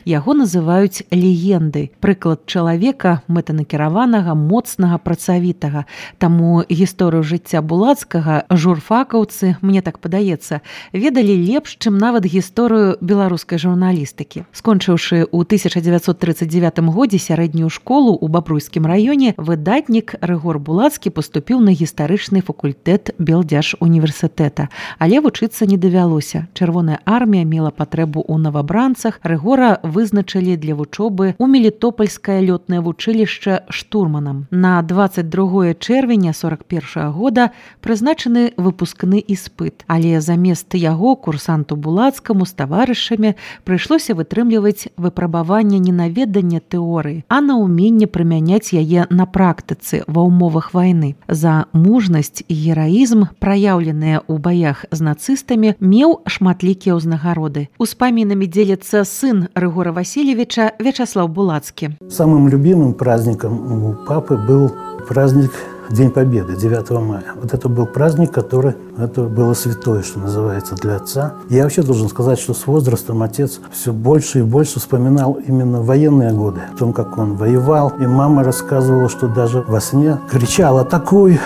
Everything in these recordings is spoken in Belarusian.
Яго называюць легендай. Прыклад чалавека мэтанакіраванага, моцнага, працавітага. Таму гісторыю жыцця Булацкага журфакаўцы, мне так падаецца, ведалі лепш, чым нават гісторыю беларускай журналістыкі. Скончыўшы ў 1939 годзе сярэднюю школу ў Бабруйскім раёне, выдатнік Рыгор Булацкі паступіў на гістарычны факультэт Белдзяржуніверсітэта. Але вучыцца не давялося. Чырвоная армія мела патрэбу ў новабранцах. Рыгора вызначылі для вучобы ў Мелітопольскае лётнае вучылішча штурманам. На 22 чэрвеня 41 года прызначаны выпускны іспыт. Але замест яго курсанту Булацкаму з таварышамі прыйшлося вытрымліваць выпрабаванне не на веданне тэорыі, а на ўменне прымяняць яе на практыцы ва ўмовах вайны. За мужнасць і гераізм, праяўленыя ў баях з нацыстамі, меў шматлікія ўзнагароды. Успамінамі дзеліцца сын Рыгора Васильевича Вячаслав Булацкі. Самым любимым праздником у папы был праздник День Победы, 9 мая. Вот это был праздник, это было святое, что называется, для отца. Я вообще должен сказать, что с возрастом отец все больше и больше вспоминал именно военные годы, о том, как он воевал. И мама рассказывала, что даже во сне кричала: «Атакуй!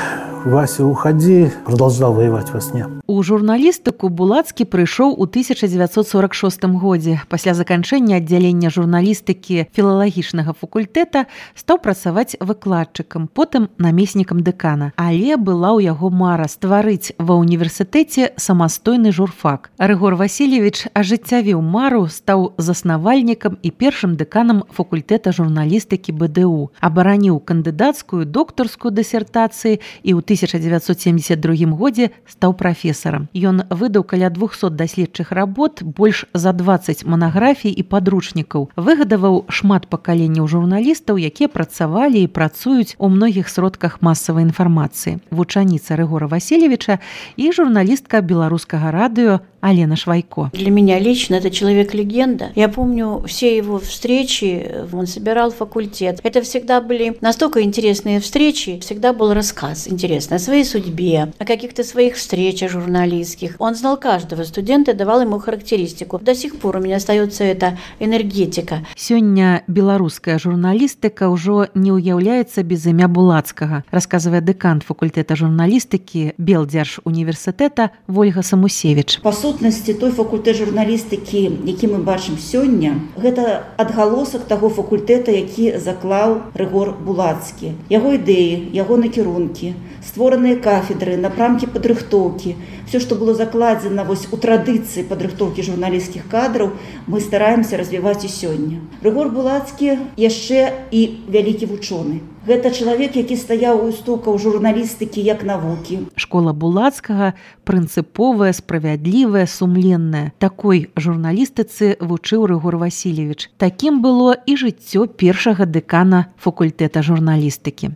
Вася, уходи!» Продолжал воевать во сне. У журналістыку Булацкі прыйшоў у 1946 годзе. Пасля заканчэння аддзялення журналістыкі філалагічнага факультэта стаў працаваць выкладчыкам, потым намеснікам дэкана. Але была ў яго мара стварыць ва ўніверсітэце самастойны журфак. Рыгор Васильевич ажыццявіў мару, стаў заснавальнікам і першым дэканам факультэта журналістыкі БДУ. Абараніў кандыдацкую, доктарскую дысертацыі і ў 1972 годзе стаў прафесарам. Ён выдаў каля 200 даследчых работ, больш за 20 манаграфій і падручнікаў. Выгадаваў шмат пакаленняў журналістаў, якія працавалі і працуюць у многіх сродках масавай інфармацыі. Вучаніца Рыгора Васильевича і журналістка беларускага радыё Алена Швайко. Для меня лично это человек-легенда. Я помню все его встречи, он собирал факультет. Это всегда были настолько интересные встречи, всегда был рассказ интересный о своей судьбе, о каких-то своих встречах журналистских. Он знал каждого студента, давал ему характеристику. До сих пор у меня остается эта энергетика. Сёння беларуская журналістыка ўжо не ўяўляецца без імя Булацкага, расказвае дэкан факультэта журналістыкі Белдзяржуніверсітэта Вольга Самусевіч. Па сутнасці, той факультэт журналістыкі, які мы бачым сёння, гэта адгалосак таго факультэта, які заклаў Рыгор Булацкі. Яго ідэі, яго накірункі, створаныя кафедры, напрамкі падрыхтоўкі, все, што было закладзена у традыцыі падрыхтоўкі журналісцкіх кадраў, мы стараемся развіваць і сёння. Рыгор Булацкі яшчэ і вялікі вучоны. Гэта чалавек, які стаяў у істокаў журналістыкі як навукі. Школа Булацкага прынцыповая, справядлівая, сумленная. Такой журналістыцы вучыў Рыгор Васильевич. Такім было і жыццё першага дэкана факультэта журналістыкі.